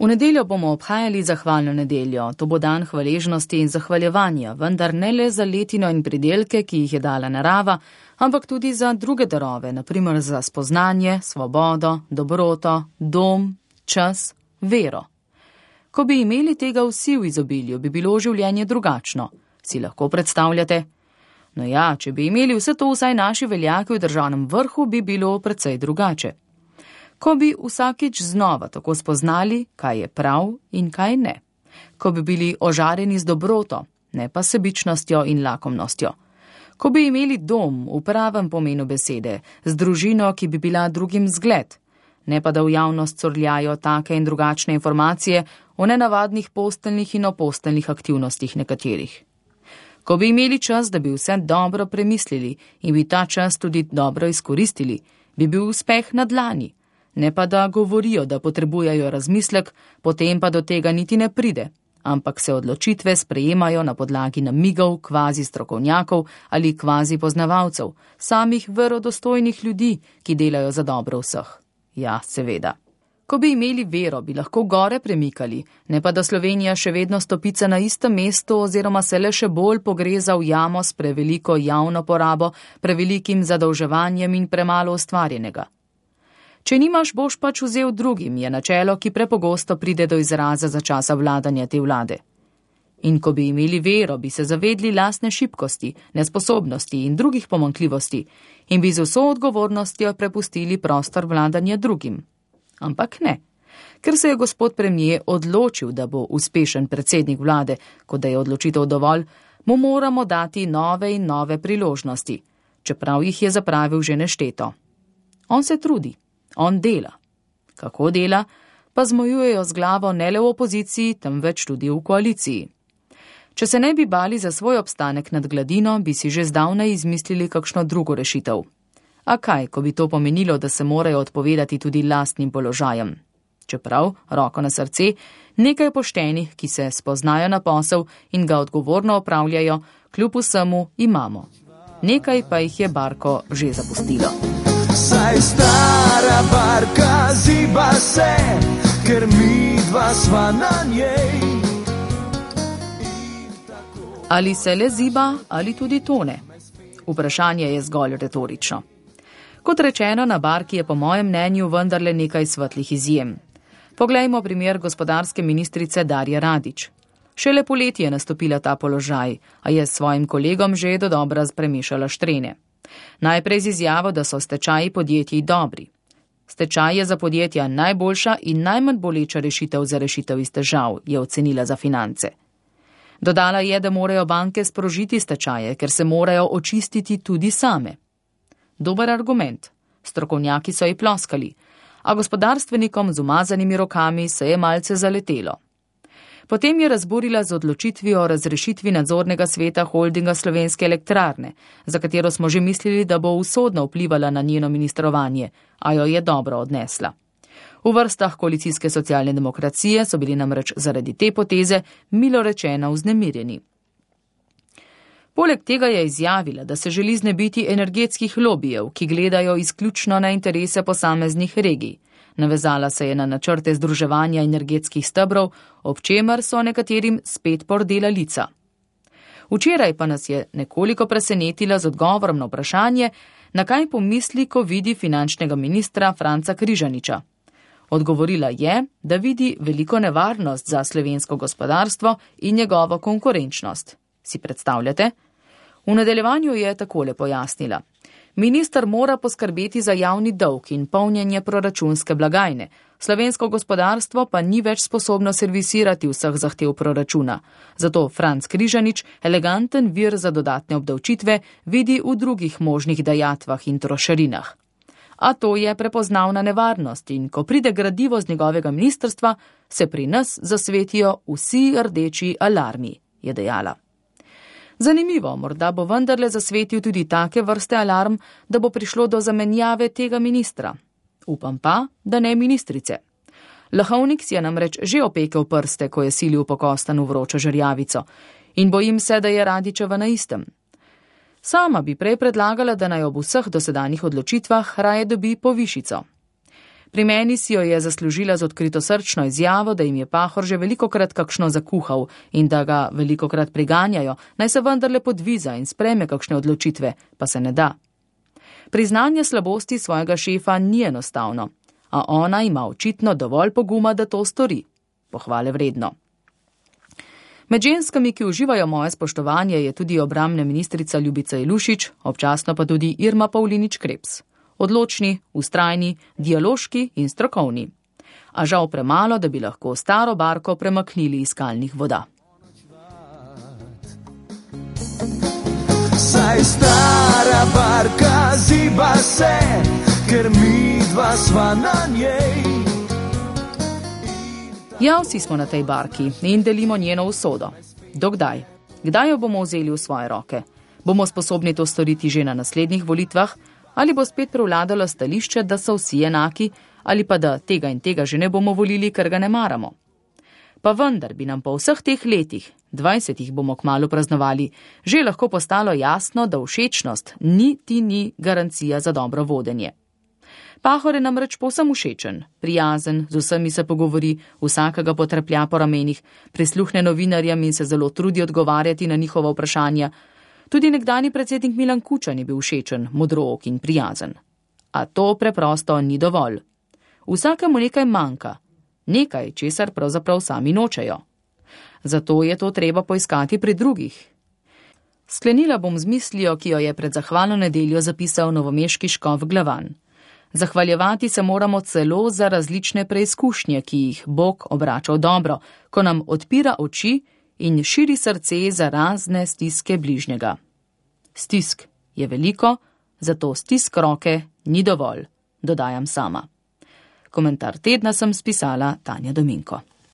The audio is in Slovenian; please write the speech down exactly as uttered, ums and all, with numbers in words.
V nedeljo bomo obhajali zahvalno nedeljo. To bo dan hvaležnosti in zahvaljevanja, vendar ne le za letino in pridelke, ki jih je dala narava, ampak tudi za druge darove, na primer za spoznanje, svobodo, dobroto, dom, čas, vero. Ko bi imeli tega vsi v izobilju, bi bilo življenje drugačno. Si lahko predstavljate? No ja, če bi imeli vse to vsaj naši veljaki v državnem vrhu, bi bilo precej drugače. Ko bi vsakič znova tako spoznali, kaj je prav in kaj ne. Ko bi bili ožareni z dobroto, ne pa sebičnostjo in lakomnostjo. Ko bi imeli dom v pravem pomenu besede, z družino, ki bi bila drugim zgled, ne pa da v javnost curljajo take in drugačne informacije o nenavadnih posteljnih in oposteljnih aktivnostih nekaterih. Ko bi imeli čas, da bi vse dobro premislili in bi ta čas tudi dobro izkoristili, bi bil uspeh na dlani. Ne pa da govorijo, da potrebujejo razmislek, potem pa do tega niti ne pride, ampak se odločitve sprejemajo na podlagi namigov kvazi strokovnjakov ali kvazi poznavalcev, samih verodostojnih ljudi, ki delajo za dobro vseh. Ja, seveda. Ko bi imeli vero, bi lahko gore premikali, ne pa da Slovenija še vedno stopica na istem mestu oziroma se le še bolj pogreza v jamo s preveliko javno porabo, prevelikim zadolževanjem in premalo ustvarjenega. Če nimaš, boš pač vzel drugim, je načelo, ki prepogosto pride do izraza za časa vladanja te vlade. In ko bi imeli vero, bi se zavedli lastne šibkosti, nesposobnosti in drugih pomanjkljivosti in bi z vso odgovornostjo prepustili prostor vladanja drugim. Ampak ne. Ker se je gospod premier odločil, da bo uspešen predsednik vlade, kot da je odločitev dovolj, mu moramo dati nove in nove priložnosti, čeprav jih je zapravil že nešteto. On se trudi. On dela. Kako dela, pa zmojujejo z glavo ne le v opoziciji, temveč tudi v koaliciji. Če se ne bi bali za svoj obstanek nad gladino, bi si že zdavnaj izmislili kakšno drugo rešitev. A kaj, ko bi to pomenilo, da se morajo odpovedati tudi lastnim položajem? Čeprav, roko na srce, nekaj poštenih, ki se spoznajo na posel in ga odgovorno opravljajo, kljub vsemu imamo. Nekaj pa jih je barko že zapustilo. Saj stara barka ziba se, ker mi dva sva na njej. Ali se le ziba, ali tudi tone? Vprašanje je zgolj retorično. Kot rečeno, na barki je po mojem mnenju vendarle nekaj svetlih izjem. Poglejmo primer gospodarske ministrice Darje Radić. Šele poleti je nastopila ta položaj, a je s svojim kolegom že dodobra premešala štrene. Najprej z izjavo, da so stečaji podjetij dobri. Stečaj je za podjetja najboljša in najmanj boleča rešitev za rešitev iz težav, je ocenila za Finance. Dodala je, da morajo banke sprožiti stečaje, ker se morajo očistiti tudi same. Dober argument. Strokovnjaki so ji ploskali, a gospodarstvenikom z umazanimi rokami se je malce zaletelo. Potem je razburila z odločitvijo o razrešitvi nadzornega sveta holdinga Slovenske elektrarne, za katero smo že mislili, da bo usodno vplivala na njeno ministrovanje, a jo je dobro odnesla. V vrstah koalicijske socialne demokracije so bili namreč zaradi te poteze milo rečeno vznemirjeni. Poleg tega je izjavila, da se želi znebiti energetskih lobijev, ki gledajo izključno na interese posameznih regij. Navezala se je na načrte združevanja energetskih stebrov, ob čemer so nekaterim spet pordela lica. Včeraj pa nas je nekoliko presenetila z odgovorom na vprašanje, na kaj pomisli, ko vidi finančnega ministra Franca Križaniča. Odgovorila je, da vidi veliko nevarnost za slovensko gospodarstvo in njegovo konkurenčnost. Si predstavljate? V nadaljevanju je takole pojasnila. Minister mora poskrbeti za javni dolg in polnjenje proračunske blagajne. Slovensko gospodarstvo pa ni več sposobno servisirati vseh zahtev proračuna. Zato Franc Križanič eleganten vir za dodatne obdavčitve vidi v drugih možnih dajatvah in trošarinah. A to je prepoznavna nevarnost in ko pride gradivo z njegovega ministrstva, se pri nas zasvetijo vsi rdeči alarmi, je dejala. Zanimivo, morda bo vendarle zasvetil tudi take vrste alarm, da bo prišlo do zamenjave tega ministra. Upam pa, da ne ministrice. Lahovnik si je namreč že opekel prste, ko je silil po kostanu vročo žerjavico in bojim se, da je Radićeva na istem. Sama bi prej predlagala, da naj ob vseh dosedanjih odločitvah raje dobi povišico. Pri meni si jo je zaslužila z odkritosrčno izjavo, da jim je Pahor že velikokrat kakšno zakuhal in da ga velikokrat priganjajo, naj se vendarle podviza in spreme kakšne odločitve, pa se ne da. Priznanje slabosti svojega šefa ni enostavno, a ona ima očitno dovolj poguma, da to stori. Pohvale vredno. Med ženskami, ki uživajo moje spoštovanje, je tudi obrambna ministrica Ljubica Ilušič, občasno pa tudi Irma Pavlinič Krebs. Odločni, vztrajni, dialoški in strokovni. A žal premalo, da bi lahko staro barko premaknili iz skalnih voda. Saj stara barka ziba se, ker mi dva sva na njej. Ja, vsi smo na tej barki in delimo njeno usodo. Dokdaj? Kdaj jo bomo vzeli v svoje roke? Bomo sposobni to storiti že na naslednjih volitvah? Ali bo spet prevladalo stališče, da so vsi enaki, ali pa da tega in tega že ne bomo volili, ker ga ne maramo? Pa vendar bi nam po vseh teh letih, dvajsetih bomo kmalu praznovali, že lahko postalo jasno, da všečnost niti ni garancija za dobro vodenje. Pahor je namreč povsem všečen, prijazen, z vsemi se pogovori, vsakega potrplja po ramenih, prisluhne novinarjem in se zelo trudi odgovarjati na njihova vprašanja. Tudi nekdani predsednik Milan Kučan je bil všečen, modrook in prijazen. A to preprosto ni dovolj. Vsakemu nekaj manjka, nekaj, česar pravzaprav sami nočejo. Zato je to treba poiskati pri drugih. Sklenila bom z mislijo, ki jo je pred zahvalno nedeljo zapisal novomeški škof Glavan. Zahvaljevati se moramo celo za različne preizkušnje, ki jih Bog obrača v dobro, ko nam odpira oči in širi srce za razne stiske bližnjega. Stisk je veliko, zato stisk roke ni dovolj, dodajam sama. Komentar tedna sem spisala Tanja Dominko.